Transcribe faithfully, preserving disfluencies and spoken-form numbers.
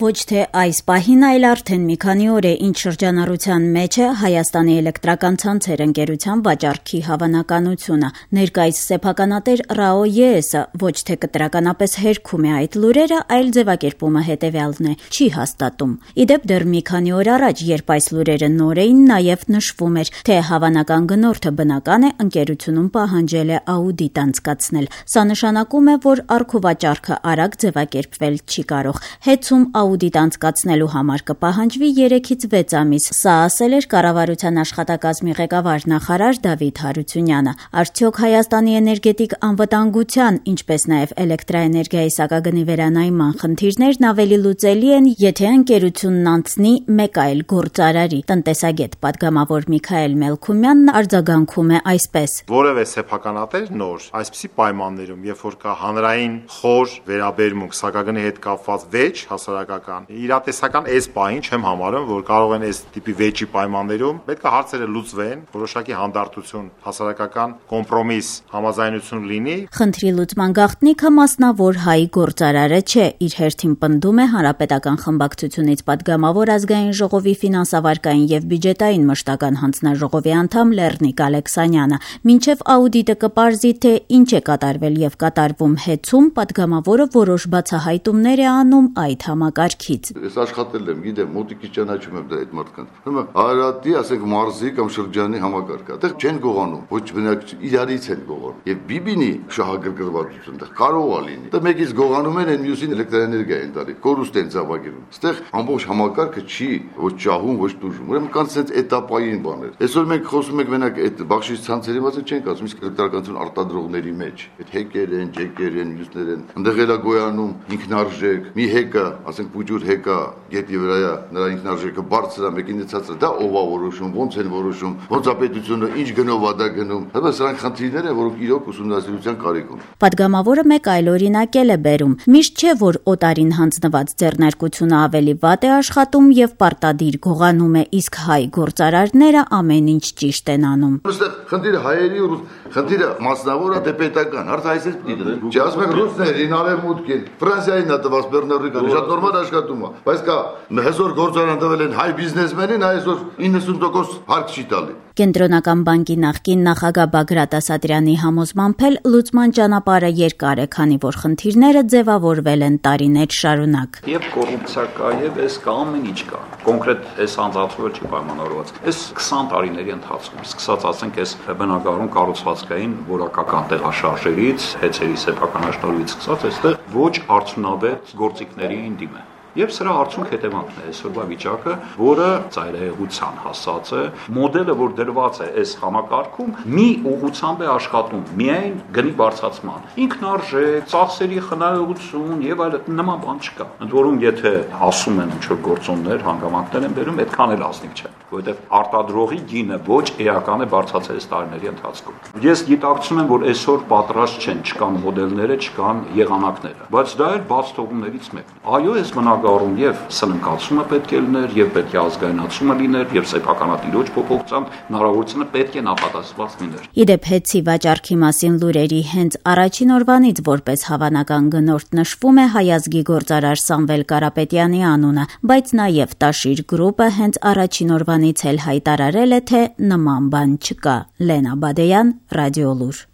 Ոչ թե այս պահին, այլ արդեն մի քանի օր է, ինչ շրջանառության մեջ է Հայաստանի էլեկտրական ցանցեր ընկերության վաճառքի հավանականությունը։ Ներկայիս սեփականատեր ՌԱՕ ԵԷՍ-ը ոչ թե կտրականապես հերքում է այդ լուրերը, այլ ձևակերպումը հետևյալն է՝ չի հաստատում։ Իդեպ դեռ մի քանի օր առաջ, երբ այս լուրերը նոր էին, նաև նշվում էր, թե հավանական գնորդը բնական է ընկերությունում պահանջել է աուդիտ անցկացնել։ Սա նշանակում է, որ առքուվաճառքը արագ ձևակերպվել չի կարող։ Հեծում աուդիտ անցկացնելու համար կպահանջվի երեքից վեց ամիս։ Սա ասել էր կառավարության աշխատակազմի ղեկավար նախարար Դավիթ Հարությունյանը։ Արդյոք Հայաստանի էներգետիկ անվտանգության, ինչպես նաև էլեկտրաէներգիայի սակագնի վերանայման խնդիրներն ավելի լուծելի են, եթե ընկերությունն անցնի մեկ այլ գործարարի։ Տնտեսագետ պատգամավոր Միքայել Մելքումյանն արձագանքում է այսպես. Որևէ սեփականատեր նոր այսպիսի պայմաններում, երբ որ կա հանրային խոր վերաբերմունք սակագնի հետ կապված վեճ հասարակական, իրատեսական այս պահին չեմ համարում, որ կարող են այս տիպի վեճի պայմաններում պետք է հարցերը լուծվեն, որոշակի հանդարտություն, հասարակական կոմպրոմիս, համաձայնություն լինի։ Խնդրի լուծման գաղտնիքը մասնավոր հայ գործարարը չէ, իր հերթին պնդում է Հանրապետական խմբակցությունից պատգամավոր Ազգային ժողովի ֆինանսավարկային եւ բյուջետային մշտական հանձնաժողովի անդամ Լեռնիկ Ալեքսանյանը։ Մինչեւ աուդիտը կպարզի, թե ինչ է կատարվել եւ կատարվում հեծում, պատգամավորը որոշ բացահայտումներ է անում այդ համակարգից։ Ես աշխատել եմ, գիտեմ, մոտիկից ճանաչում եմ դա այդ մարդկանց։ Հիմա Արարատի, ասենք, մարզի կամ շրջանի համակարգը, այդտեղ չեն գողանում, ոչ բնակ իրարից են գողանում։ Եվ բիբինի շահագրգռվածություն դա կարող է լինի։ Դա մեկից գողանում են, այն մյուսին էլեկտրաէներգիա են տալի, կորուստ են ծավալում։ Այստեղ ամբողջ համակարգը չի ոչ ճահում, ոչ տուժում։ Ուրեմն կան ցենց էտապային բաներ։ Այսօր մենք խոսում ենք մենակ այդ բախշիչ ցանցերի մասին չենք ասում, իսկ էլեկտրականություն արտադրողների մեջ։ Այդ հեկեր են, ջեկեր են, մյուսներ են։ Այնտեղ էլա գոյանում ինքնարժեք, մի հեկը, ասենք պուջուր հեկա, գետի վրայա, նրա ինքնարժեքը բարձր է, մեկին ցածր, դա ով է որոշում, ոնց են որոշում, ոնց է պետությունը ինչ գնով է դա գնում։ Հələ սրանք խնդիրներ են, որոնք իրոք ուսումնասիրության կարիք ունեն։ Պատգամավորը մեկ այլ օրինակել է բերում. միշտ չէ, որ օտարին հանձնված ձեռնարկությունը ավելի վատ է աշխատում եւ պարտադիր գողանում է, իսկ հայ գործարարները ամեն ինչ ճիշտ են անում։ Այստեղ խնդիրը հայերի ու խնդիրը մասնավոր է, դե պետական, հարց այսպես պիտի դրեն։ Չի ասում եք ռուսներին, արևմուտքին, Ֆրանսիային է տված Բեռնարդիկը, շատ նորմալ աշխատում է, բայց կա հզոր գործարան տվել են հայ բիզնեսմենին, այսօր իննսուն տոկոս հարկ չի տալի։ Կենտրոնական բանկի նախկին նախագահ Բագրատ Ասատրյանի համոզմամբ էլ լուծման ճանապարհը երկար է, քանի որ խնդիրները ձևավորվել են տարիներ շարունակ։ Եվ կոռուպցիա կա, եւ այս կա ամեն ինչ կա։ Կոնկրետ այս անձացումը չի պայմանավորված։ Այս քսան տարիների ընթացքում, սկսած ասենք այս բնակարան կառուցվածքային որակական տեղաշարժերից, հեծերի սեփականաշնորհից սկսած, այստեղ ոչ արդյունավետ գործիքների են դիմը։ Եվ սրա արդյունք հետևանքն է այսօրվա վիճակը, որը ծայրահեղության հասած է, մոդելը, որ դրված է այս համակարգում, մի ուղղությամբ է աշխատում, միայն գնի բարձրացման, ինքնարժեք, ծախսերի խնայողություն եւ այլ նման բան չկա։ Ընդ որում, եթե ասում են ինչ-որ գործոններ, հանգամանքներ են բերում, այդքան էլ ազնիվ չէ, որովհետեւ արտադրողի գինը ոչ էական է բարձրացել այս տարիների ընթացքում։ Ես գիտակցում եմ, որ այսօր պատրաստ չեն, չկան մոդելները, չկան եղանակները, բայց դա էլ բաց թողումներից մեկն է։ Այո, այս բնակարանում եւ սննկացումը պետք է լիներ, եւ պետք է ազգայնացումը լիներ, եւ սեփականատիրոջ փոփոխության հնարավորությունը պետք է նախատեսված լիներ։ Իդեպ հեծի վաճառքի մասին լուրերի հենց առաջին օրվանից որպես հավանական գնորդ նշվում է հայազգի գործարար Սամվել Կարապետյանի անունը, բայց նաեւ Տաշիր գրուպը հենց առաջին օրվանից էլ հայտարարել է, թե նման բան չկա։ Լենա Բադեյան, Ռադիոլուր։